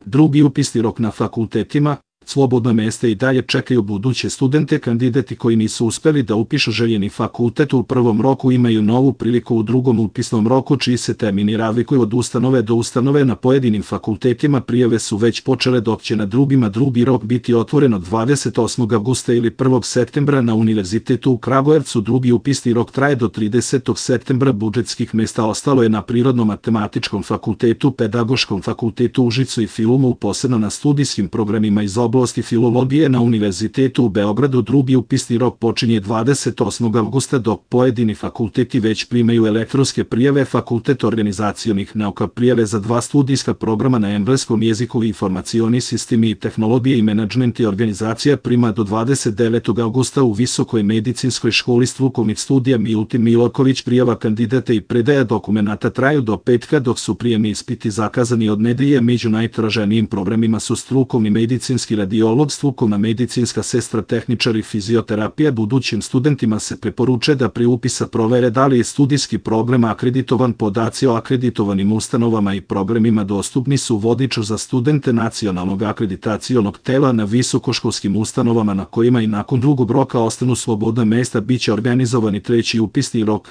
Drugi upisni rok na fakultetima. Slobodna mesta i dalje čekaju buduće studente. Kandidati koji nisu uspeli da upišu željeni fakultet u prvom roku imaju novu priliku u drugom upisnom roku, čiji se termini razlikuju od ustanove do ustanove. Na pojedinim fakultetima prijave su već počele, dok će na drugima drugi rok biti otvoren od 28. avgusta ili 1. septembra. Na Univerzitetu u Kragujevcu drugi upisni rok traje do 30. septembra. Budžetskih mesta ostalo je na Prirodno-matematičkom fakultetu, Pedagoškom fakultetu u Užicu i Filumu, posebno na studijskim programima iz oblasti filologije. Na Univerzitetu u Beogradu drugi upisni rok počinje 28. avgusta, dok pojedini fakulteti već primaju elektronske prijave. Fakultet organizacionih nauka prijave za 2 studijska programa na engleskom jeziku, informacioni sistemi i tehnologije i menadžment i organizacija, prima do 29. avgusta. U Visokoj medicinskoj školi strukovnih studija Milutin Miloković prijava kandidata i predaja dokumenata traju do petka, dok su prijemni ispiti zakazani od nedelje. Među najtraženijim programima su strukovni medicinski radiolog, strukovna medicinska sestra, tehničar i fizioterapija. Budućim studentima se preporučuje da pri upisa provere da li je studijski program akreditovan. Podaci o akreditovanim ustanovama i programima dostupni su u vodiču za studente Nacionalnog akreditacionog tela. Na visokoškolskim ustanovama na kojima i nakon drugog roka ostanu slobodna mesta biće organizovani treći upisni rok.